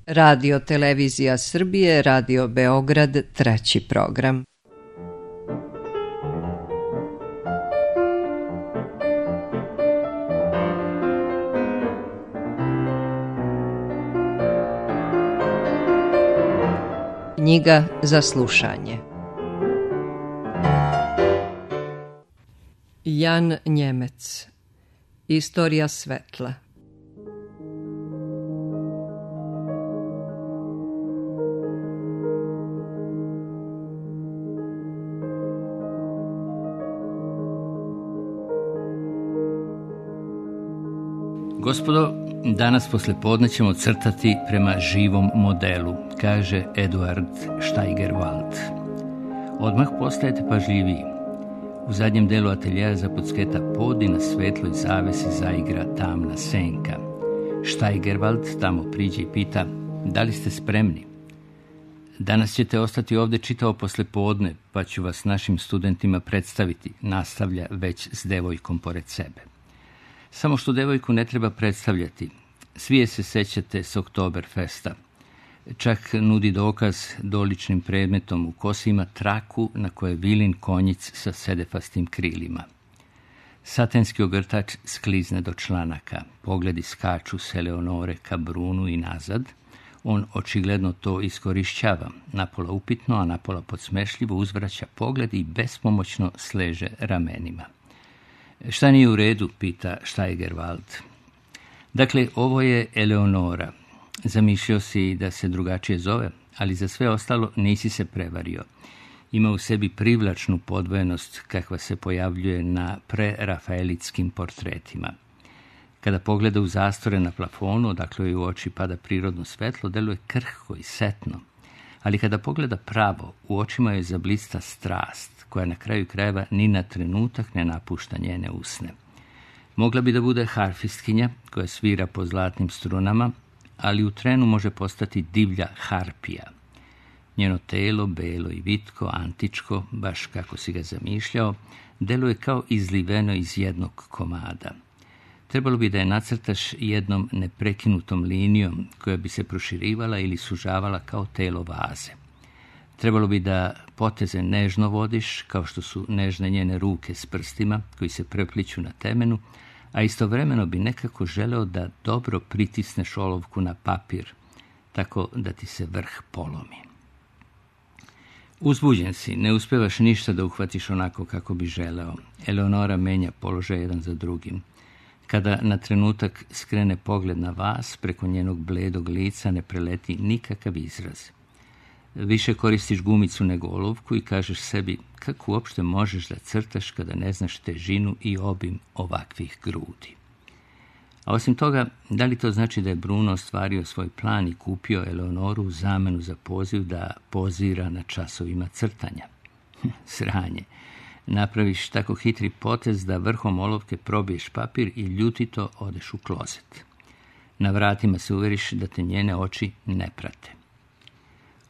Radio Televizija Srbije, Radio Beograd, 3. program. Knjiga za slušanje. Jan Njemec. Istorija svetla. Gospodo, danas poslijepodne ćemo crtati prema živom modelu, kaže Eduard Steigerwald. Odmah postajete pažljiviji. U zadnjem delu ateljeja zapucketa pod i na svetloj zavesi zaigra tamna senka. Steigerwald tamo priđe i pita, da li ste spremni? Danas ćete ostati ovdje čitavo poslijepodne, pa ću vas našim studentima predstaviti, nastavlja već s devojkom pored sebe. Samo što devojku ne treba predstavljati. Svi je se sećate s Oktoberfesta. Čak nudi dokaz doličnim predmetom u kosi ima traku na kojoj je vilin konjic sa sedefastim krilima. Satenski ogrtač sklizne do članaka. Pogledi skaču s Eleonore ka Brunu i nazad. On očigledno to iskorišćava. Napola upitno, a napola podsmešljivo uzvraća pogled i bespomoćno sleže ramenima. Šta nije u redu, pita Steigerwald. Dakle, ovo je Eleonora. Zamišljao si da se drugačije zove, ali za sve ostalo nisi se prevario. Ima u sebi privlačnu podvojenost kakva se pojavljuje na prerafaelitskim portretima. Kada pogleda u zastore na plafonu, odakle joj u oči pada prirodno svetlo, deluje krhko i setno. Ali kada pogleda pravo, u očima joj zablista strast, koja na kraju krajeva ni na trenutak ne napušta njene usne. Mogla bi da bude harfistkinja koja svira po zlatnim strunama, ali u trenu može postati divlja harpija. Njeno telo, belo i vitko, antičko, baš kako si ga zamišljao, deluje kao izliveno iz jednog komada. Trebalo bi da je nacrtaš jednom neprekinutom linijom koja bi se proširivala ili sužavala kao telo vaze. Trebalo bi da poteze nežno vodiš, kao što su nežne njene ruke s prstima koji se prepliću na temenu, a istovremeno bi nekako želeo da dobro pritisneš olovku na papir, tako da ti se vrh polomi. Uzbuđen si, ne uspevaš ništa da uhvatiš onako kako bi želeo. Eleonora menja položaj jedan za drugim. Kada na trenutak skrene pogled na vas, preko njenog bledog lica ne preleti nikakav izraz. Više koristiš gumicu nego olovku i kažeš sebi kako uopšte možeš da crtaš kada ne znaš težinu i obim ovakvih grudi. A osim toga, da li to znači da je Bruno ostvario svoj plan i kupio Eleonoru u zamenu za poziv da pozira na časovima crtanja? Sranje. Napraviš tako hitri potez da vrhom olovke probiješ papir i ljutito odeš u klozet. Na vratima se uveriš da te njene oči ne prate.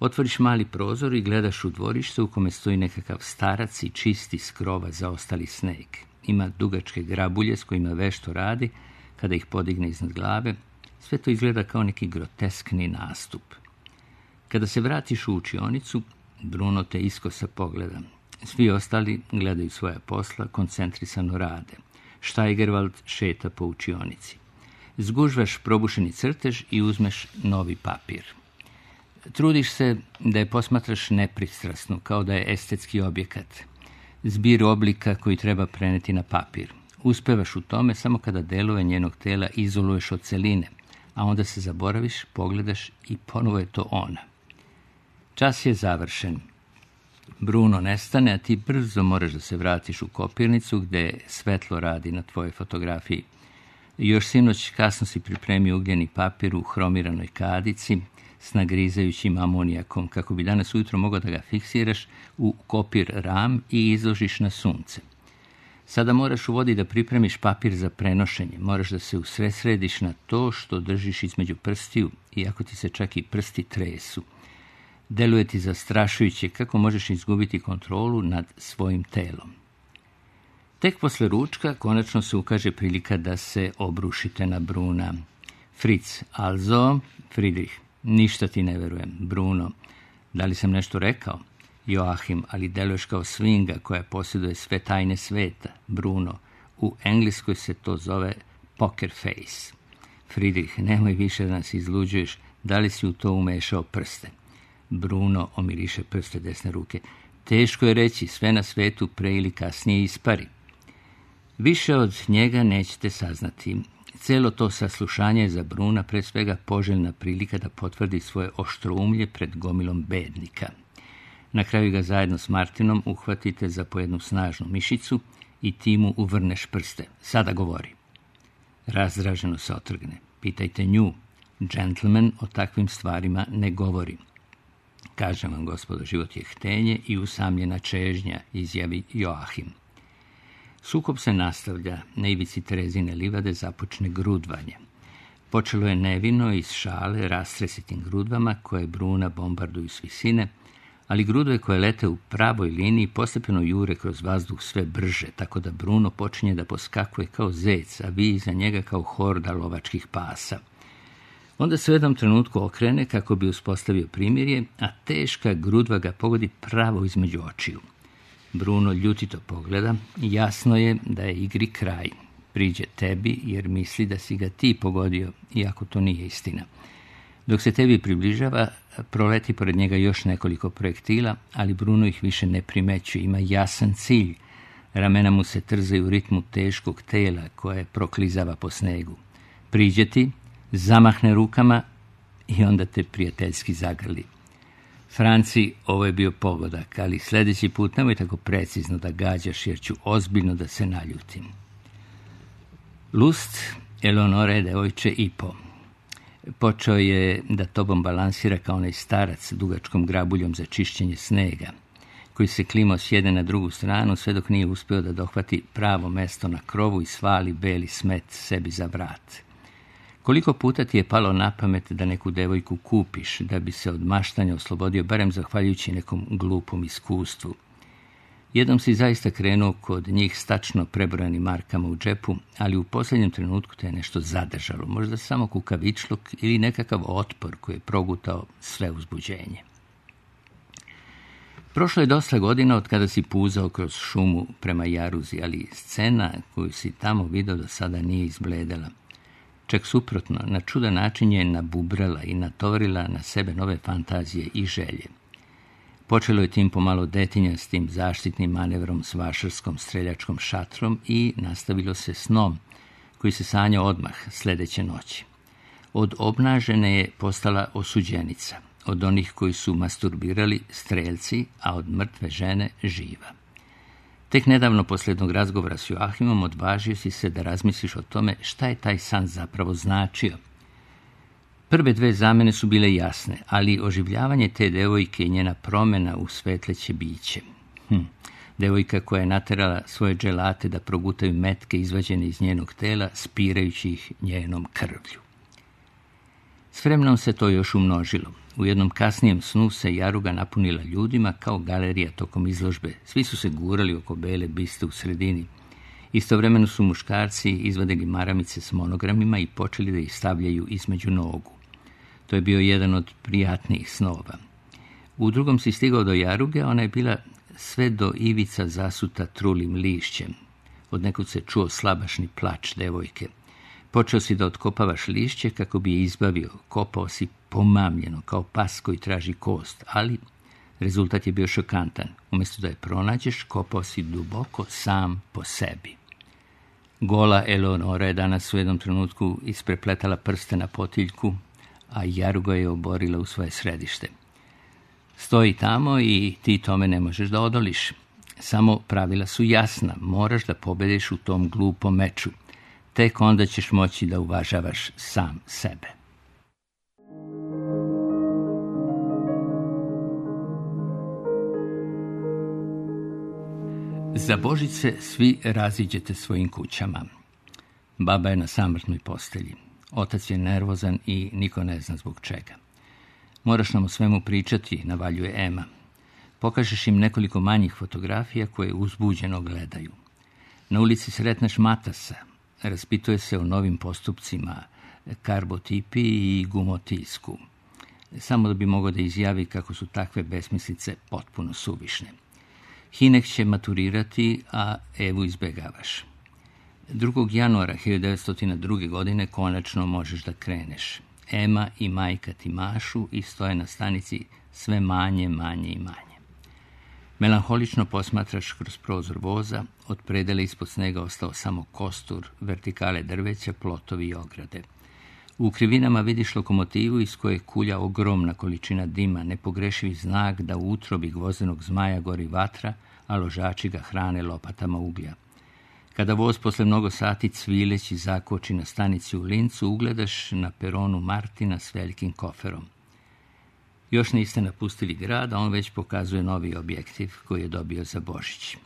Otvoriš mali prozor i gledaš u dvorište u kome stoji nekakav starac i čisti s krova zaostali sneg. Ima dugačke grabulje s kojima vešto radi, kada ih podigne iznad glave, sve to izgleda kao neki groteskni nastup. Kada se vratiš u učionicu, Bruno te iskosa pogleda. Svi ostali gledaju svoja posla, koncentrisano rade. Steigerwald šeta po učionici. Zgužvaš probušeni crtež i uzmeš novi papir. Trudiš se da je posmatraš nepristrasno, kao da je estetski objekat. Zbir oblika koji treba preneti na papir. Uspevaš u tome samo kada delove njenog tela izoluješ od celine, a onda se zaboraviš, pogledaš i ponovo je to ona. Čas je završen. Bruno nestane, a ti brzo moraš da se vratiš u kopirnicu gde svetlo radi na tvojoj fotografiji. Još sinoć kasno si pripremio ugljeni papir u hromiranoj kadici s nagrizajućim amonijakom, kako bi danas ujutro mogao da ga fiksiraš u kopir ram i izložiš na sunce. Sada moraš u vodi da pripremiš papir za prenošenje. Moraš da se usredsrediš na to što držiš između prstiju, iako ti se čak i prsti tresu. Deluje ti zastrašujuće kako možeš izgubiti kontrolu nad svojim telom. Tek posle ručka konačno se ukaže prilika da se obrušite na Bruna. Fritz, also, Friedrich, Ništa ti ne verujem, Bruno. Da li sam nešto rekao? Joachim, ali deluješ kao svinga koja posjeduje sve tajne sveta. Bruno, u Engleskoj se to zove poker face. Friedrich, nemoj više da nas izluđuješ. Da li si u to umešao prste? Bruno omiriše prste desne ruke. Teško je reći, sve na svetu pre ili kasnije ispari. Više od njega nećete saznati. Celo to saslušanje je za Bruna pre svega poželjna prilika da potvrdi svoje oštroumlje pred gomilom bednika. Na kraju ga zajedno s Martinom uhvatite za po jednu snažnu mišicu i ti mu uvrneš prste. Sada govori. Razdraženo se otrgne. Pitajte nju. Gentleman o takvim stvarima ne govori. Kažem vam, gospodo, život je htenje i usamljena čežnja, izjavi Joachim. Sukob se nastavlja. Na ivici Terezine livade započne grudvanje. Počelo je nevino iz šale rastresitim grudvama koje Bruna bombarduju s visine, ali grudve koje lete u pravoj liniji postepeno jure kroz vazduh sve brže, tako da Bruno počinje da poskakuje kao zec, a vi iza njega kao horda lovačkih pasa. Onda se u jednom trenutku okrene kako bi uspostavio primirje, a teška grudva ga pogodi pravo između očiju. Bruno ljutito pogleda i jasno je da je igri kraj. Priđe tebi jer misli da si ga ti pogodio, iako to nije istina. Dok se tebi približava, proleti pored njega još nekoliko projektila, ali Bruno ih više ne primećuje, ima jasan cilj. Ramena mu se trzaju u ritmu teškog tela koje proklizava po snegu. Priđe ti, zamahne rukama i onda te prijateljski zagrli. Franci, ovo je bio pogodak, ali sljedeći put nemoj tako precizno da gađaš jer ću ozbiljno da se naljutim. Lust, Eleonore, devojče i po. Počeo je da tobom balansira kao onaj starac dugačkom grabuljom za čišćenje snega, koji se klimao s jedne na drugu stranu sve dok nije uspio da dohvati pravo mesto na krovu i svali beli smet sebi za vrat. Koliko puta ti je palo na pamet da neku devojku kupiš, da bi se od maštanja oslobodio, barem zahvaljujući nekom glupom iskustvu? Jednom si zaista krenuo kod njih s tačno prebrojanim markama u džepu, ali u posljednjem trenutku te je nešto zadržalo, možda samo kukavičluk ili nekakav otpor koji je progutao sve uzbuđenje. Prošlo je dosta godina od kada si puzao kroz šumu prema Jaruzi, ali scena koju si tamo video do sada nije izbledela. Čak suprotno, na čudan način je nabubrala i natovarila na sebe nove fantazije i želje. Počelo je tim pomalo detinjastim zaštitnim manevrom s vašarskom streljačkom šatrom i nastavilo se snom, koji se sanjao odmah sljedeće noći. Od obnažene je postala osuđenica, od onih koji su masturbirali streljci, a od mrtve žene živa. Tek nedavno, poslije jednog razgovora s Joachimom, odvažio si se da razmisliš o tome šta je taj san zapravo značio. Prve dve zamene su bile jasne, ali oživljavanje te devojke i njena promjena u svetleće biće. Devojka koja je naterala svoje dželate da progutaju metke izvađene iz njenog tela, spirajući ih njenom krvlju. S vremenom se to još umnožilo. U jednom kasnijem snu se Jaruga napunila ljudima kao galerija tokom izložbe. Svi su se gurali oko bele biste u sredini. Istovremeno su muškarci izvadili maramice s monogramima i počeli da ih stavljaju između nogu. To je bio jedan od prijatnijih snova. U drugom si stigao do Jaruge, ona je bila sve do ivica zasuta trulim lišćem. Odnekud se čuo slabašni plač devojke. Počeo si da otkopavaš lišće kako bi je izbavio. Kopao si pomamljeno, kao pas koji traži kost, ali rezultat je bio šokantan. Umjesto da je pronađeš, kopao si duboko sam po sebi. Gola Eleonora je danas u jednom trenutku isprepletala prste na potiljku, a Jaruga je oborila u svoje središte. Stoji tamo i ti tome ne možeš da odoliš. Samo pravila su jasna, moraš da pobediš u tom glupom meču. Tek onda ćeš moći da uvažavaš sam sebe. Za Božić se svi raziđete svojim kućama. Baba je na samrtnoj postelji. Otac je nervozan i niko ne zna zbog čega. Moraš nam o svemu pričati, navaljuje Ema. Pokažeš im nekoliko manjih fotografija koje uzbuđeno gledaju. Na ulici sretneš Matasa. Raspituje se o novim postupcima, karbotipiji i gumotisku. samo da bi mogao da izjavi kako su takve besmislice potpuno suvišne. Hinek će maturirati, a Evu izbegavaš. 2. januara 1902. godine konačno možeš da kreneš. Ema i majka ti mašu i stoje na stanici sve manje i manje. Melanholično posmatraš kroz prozor voza, od predela ispod snega ostao samo kostur, vertikale drveća, plotovi i ograde. U krivinama vidiš lokomotivu iz koje kulja ogromna količina dima, nepogrešivi znak da u utrobi gvozdenog zmaja gori vatra, a ložači ga hrane lopatama uglja. Kada voz posle mnogo sati cvileći zakoči na stanici u Lincu, ugledaš na peronu Martina s velikim koferom. Još niste napustili grad, a on već pokazuje novi objektiv koji je dobio za Božić.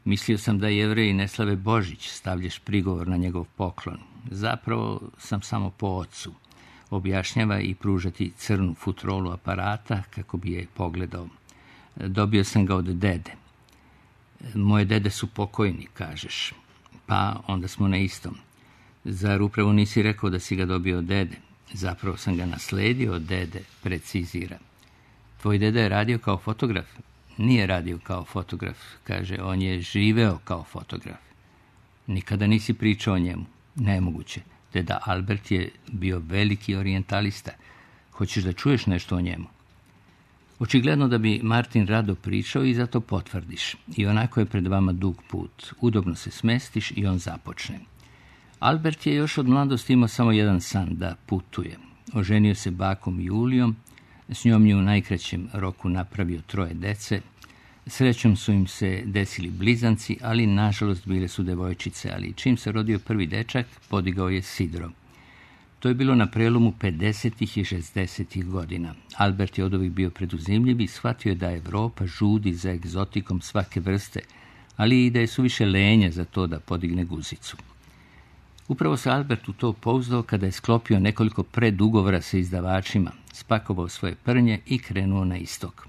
Mislio sam da Jevreji ne slave Božić, stavljaš prigovor na njegov poklon. Zapravo sam samo po ocu. Objašnjava i pružati crnu futrolu aparata kako bi je pogledao. Dobio sam ga od dede. Moje dede su pokojni, kažeš. Pa onda smo na istom. Zar upravo nisi rekao da si ga dobio od dede? Zapravo sam ga nasledio od dede, precizira. Tvoj deda je radio kao fotograf? Nije radio kao fotograf, kaže, on je živeo kao fotograf. Nikada nisi pričao o njemu. Nemoguće. Deda Albert je bio veliki orijentalista. Hoćeš da čuješ nešto o njemu? Očigledno da bi Martin rado pričao i zato potvrdiš. I onako je pred vama dug put. Udobno se smestiš i on započne. Albert je još od mladosti imao samo jedan san, da putuje. Oženio se bakom Julijom, s njom je u najkraćem roku napravio 3 dece. Srećom su im se desili blizanci, ali nažalost bile su devojčice, ali čim se rodio prvi dečak, podigao je sidro. To je bilo na prelomu 50. i 60. godina. Albert je od ovih bio preduzimljiv i shvatio je da Evropa žudi za egzotikom svake vrste, ali i da je suviše lenja za to da podigne guzicu. Upravo se Albert u to pouzdao kada je sklopio nekoliko predugovora sa izdavačima, spakovao svoje prnje i krenuo na istok.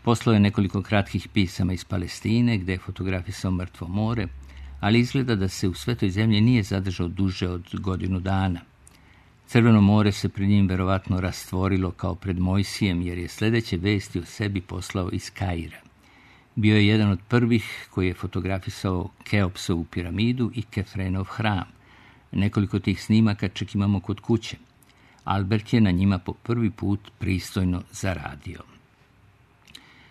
Poslao je nekoliko kratkih pisama iz Palestine, gde je fotografisao mrtvo more, ali izgleda da se u Svetoj zemlji nije zadržao duže od godinu dana. Crveno more se pred njim verovatno rastvorilo kao pred Mojsijem, jer je sledeće vesti o sebi poslao iz Kaira. Bio je jedan od prvih koji je fotografisao Keopsovu piramidu i Kefrenov hram. Nekoliko tih snimaka čak imamo kod kuće. Albert je na njima po prvi put pristojno zaradio.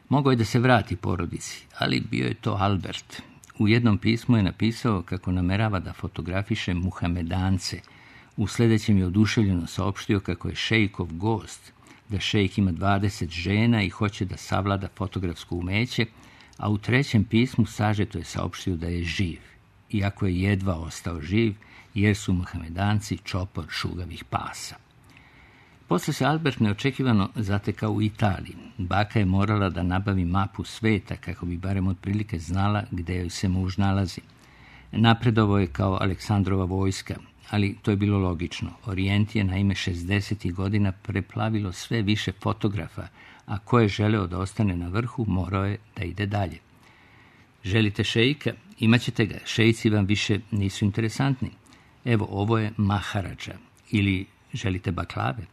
Mogao je da se vrati porodici, ali bio je to Albert. U jednom pismu je napisao kako namerava da fotografiše Muhamedance. U sledećem je oduševljeno saopštio kako je šejkov gost, da šejk ima 20 žena i hoće da savlada fotografsko umeće, a u 3. pismu sažeto je saopštio da je živ, iako je jedva ostao živ, jer su Muhamedanci čopor šugavih pasa. Posle se Albert neočekivano zatekao u Italiji. Baka je morala da nabavi mapu sveta kako bi barem otprilike znala gde joj se muž nalazi. Napredovao je kao Aleksandrova vojska, ali to je bilo logično. Orijent je naime 60. godina preplavilo sve više fotografa, a ko je želeo da ostane na vrhu, morao je da ide dalje. Želite šejka? Imaćete ga. Šejci vam više nisu interesantni. Evo, ovo je Maharadža. Ili želite baklave?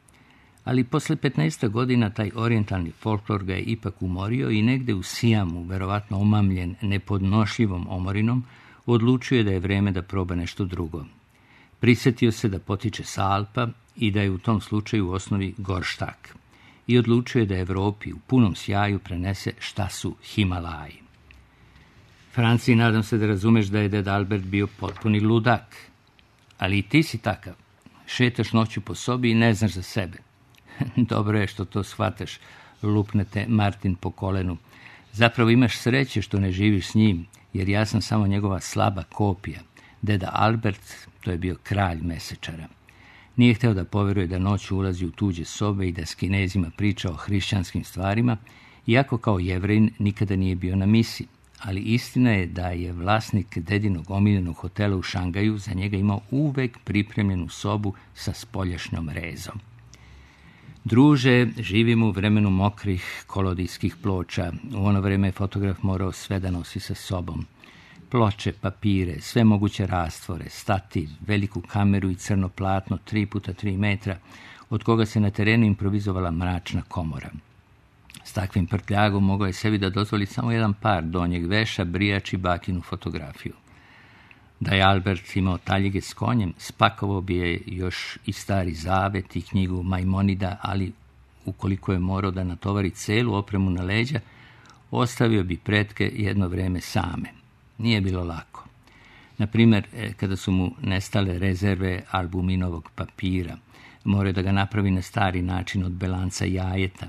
Ali posle 15 godina taj orijentalni folklor ga je ipak umorio i negde u Sijamu, verovatno omamljen nepodnošljivom omorinom, odlučio je da je vreme da proba nešto drugo. Prisetio se da potiče sa Alpa i da je u tom slučaju u osnovi gorštak. I odlučio je da Evropi u punom sjaju prenese šta su Himalaji. Franci, nadam se da razumeš da je ded Albert bio potpuni ludak. Ali i ti si takav. Šetaš noću po sobi i ne znaš za sebe. Dobro je što to shvataš, lupnete Martin po kolenu. Zapravo imaš sreće što ne živiš s njim, jer ja sam samo njegova slaba kopija. Deda Albert, to je bio kralj mesečara. Nije hteo da poveruje da noću ulazi u tuđe sobe i da s Kinezima priča o hrišćanskim stvarima, iako kao Jevrejin nikada nije bio na misi. Ali istina je da je vlasnik dedinog omiljenog hotela u Šangaju za njega imao uvek pripremljenu sobu sa spoljašnjom rezom. Druže, živimo u vremenu mokrih kolodijskih ploča. U ono vreme je fotograf morao sve da nosi sa sobom. Ploče, papire, sve moguće rastvore, stativ, veliku kameru i crno platno 3x3 metra. od koga se na terenu improvizovala mračna komora. S takvim prtljagom mogao je sebi da dozvoli samo jedan par donjeg veša, brijač i bakinu fotografiju. Da je Albert imao taljige s konjem, spakovao bi je još i Stari Zavet i knjigu Majmonida, ali ukoliko je morao da natovari celu opremu na leđa, ostavio bi pretke jedno vreme same. Nije bilo lako. Na primjer, kada su mu nestale rezerve albuminovog papira, morao je da ga napravi na stari način od belanca jajeta,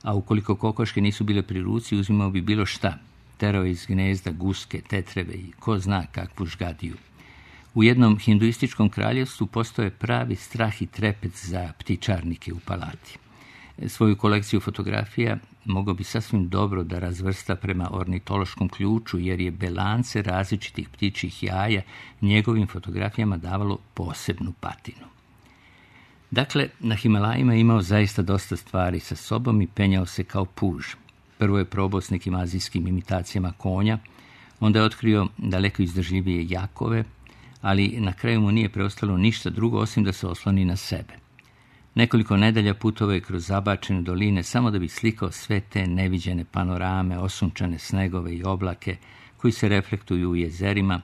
a ukoliko kokoške nisu bile pri ruci, uzimao bi bilo šta. Terao iz gnezda guske, tetreve i ko zna kakvu žgadiju. U jednom hinduističkom kraljevstvu postoje pravi strah i trepet za ptičarnike u palati. Svoju kolekciju fotografija mogao bi sasvim dobro da razvrsta prema ornitološkom ključu, jer je belance različitih ptičjih jaja njegovim fotografijama davalo posebnu patinu. Dakle, na Himalajima je imao zaista dosta stvari sa sobom i penjao se kao puž. Prvo je probao s nekim azijskim imitacijama konja, onda je otkrio daleko izdržljivije jakove, ali na kraju mu nije preostalo ništa drugo osim da se osloni na sebe. Nekoliko nedelja putovao je kroz zabačene doline samo da bi slikao sve te neviđene panorame, osunčane snegove i oblake koji se reflektuju u jezerima,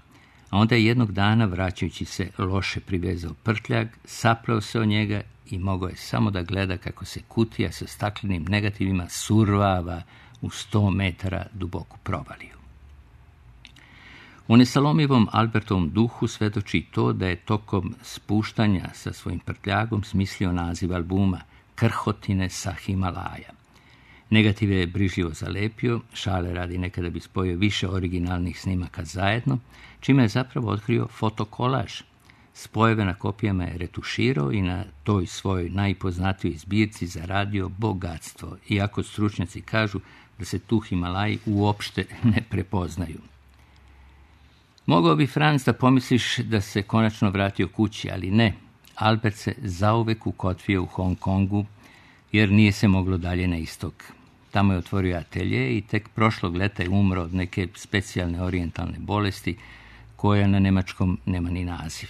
a onda je jednog dana, vraćajući se, loše privezao prtljag, sapleo se o njega i mogao je samo da gleda kako se kutija sa staklenim negativima survava u 100 metara duboku provaliju. U nesalomivom Albertovom duhu svedoči to da je tokom spuštanja sa svojim prtljagom smislio naziv albuma Krhotine sa Himalaja. Negative je brižljivo zalepio, šale radi nekada bi spojio više originalnih snimaka zajedno, čime je zapravo otkrio fotokolaž. Spojeve na kopijama je retuširao i na toj svojoj najpoznatijoj zbirci zaradio bogatstvo, iako stručnjaci kažu da se tu Himalaji uopšte ne prepoznaju. Mogao bi, Franz, da pomisliš da se konačno vratio kući, ali ne. Albert se zauvek ukotvio u Hong Kongu, jer nije se moglo dalje na istok. Tamo je otvorio atelje i tek prošlog leta je umro od neke specijalne orijentalne bolesti, koja na nemačkom nema ni naziv.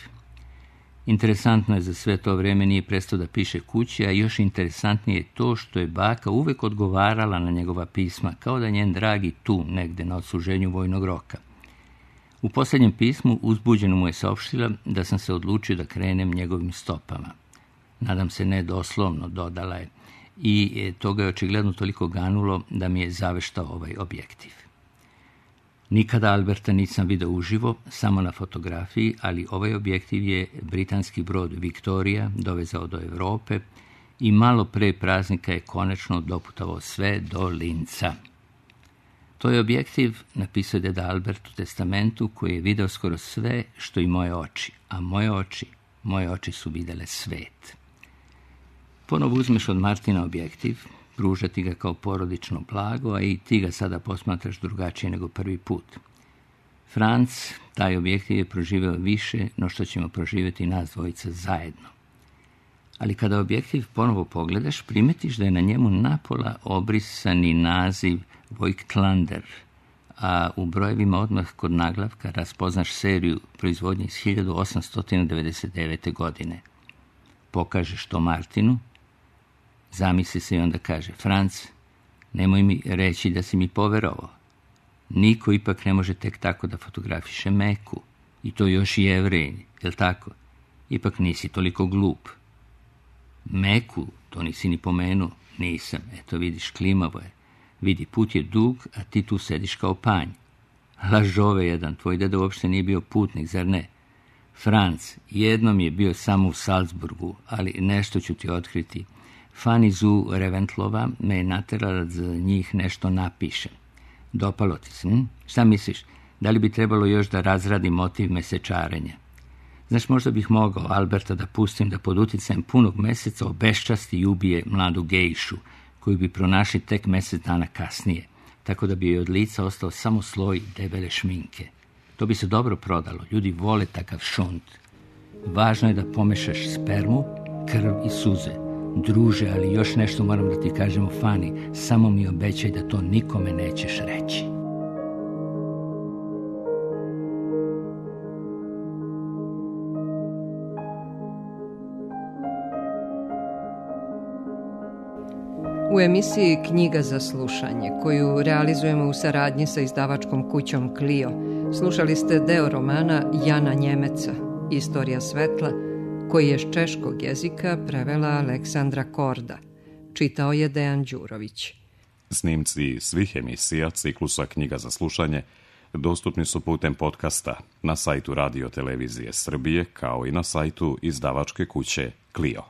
Interesantno je za sve to vrijeme nije prestao da piše kući, a još interesantnije je to što je baka uvek odgovarala na njegova pisma, kao da njen dragi tu, negde na odsluženju vojnog roka. U posljednjem pismu uzbuđeno mu je saopštila da sam se odlučio da krenem njegovim stopama. Nadam se ne doslovno, dodala je, i to ga je očigledno toliko ganulo da mi je zaveštao ovaj objektiv. Nikada Alberta nisam vidio uživo, samo na fotografiji, ali ovaj objektiv je britanski brod Victoria dovezao do Europe i malo pre praznika je konačno doputovao sve do Linca. To je objektiv, napisao je deda Albert u testamentu, koji je video skoro sve što i moje oči, a moje oči su videle svet. Ponovo uzmeš od Martina objektiv, pružati ga kao porodično blago, a i ti ga sada posmatraš drugačije nego prvi put. Franz, taj objektiv je proživeo više no što ćemo proživjeti nas dvojica zajedno. Ali kada objektiv ponovo pogledaš, primetiš da je na njemu napola obrisani naziv Voigtlander, a u brojevima odmah kod naglavka raspoznaš seriju proizvodnje iz 1899. godine. Pokažeš to Martinu, zamisli se i onda kaže: Franz, nemoj mi reći da si mi poverovao. Niko ipak ne može tek tako da fotografiše Meku, i to još i Jevrej, jel tako? Ipak nisi toliko glup. Meku, to nisi ni pomenuo. Nisam, eto vidiš, klimavo je. Vidi, put je dug, a ti tu sediš kao panj. Lažove jedan, tvoj deda uopšte nije bio putnik, zar ne? Franz, jednom je bio samo u Salzburgu, ali nešto ću ti otkriti. Fanny Zu Reventlova me je naterala da za njih nešto napišem. Dopalo ti se, Šta misliš, da li bi trebalo još da razradim motiv mesečarenja? Znaš, možda bih mogao Alberta da pustim da pod uticajem punog meseca obeščasti i ubije mladu gejšu, koju bi pronašli tek mjesec dana kasnije, tako da bi joj od lica ostao samo sloj debele šminke. To bi se dobro prodalo, ljudi vole takav šunt. Važno je da pomešaš spermu, krv i suze. Druže, ali još nešto moram da ti kažem o Fani, samo mi obećaj da to nikome nećeš reći. U emisiji Knjiga za slušanje, koju realizujemo u saradnji sa izdavačkom kućom Clio, slušali ste deo romana Jana Njemeca, Istorija svetla, koji je s češkog jezika prevela Aleksandra Korda. Čitao je Dejan Đurović. Snimci svih emisija ciklusa Knjiga za slušanje dostupni su putem podcasta na sajtu Radio Televizije Srbije, kao i na sajtu izdavačke kuće Clio.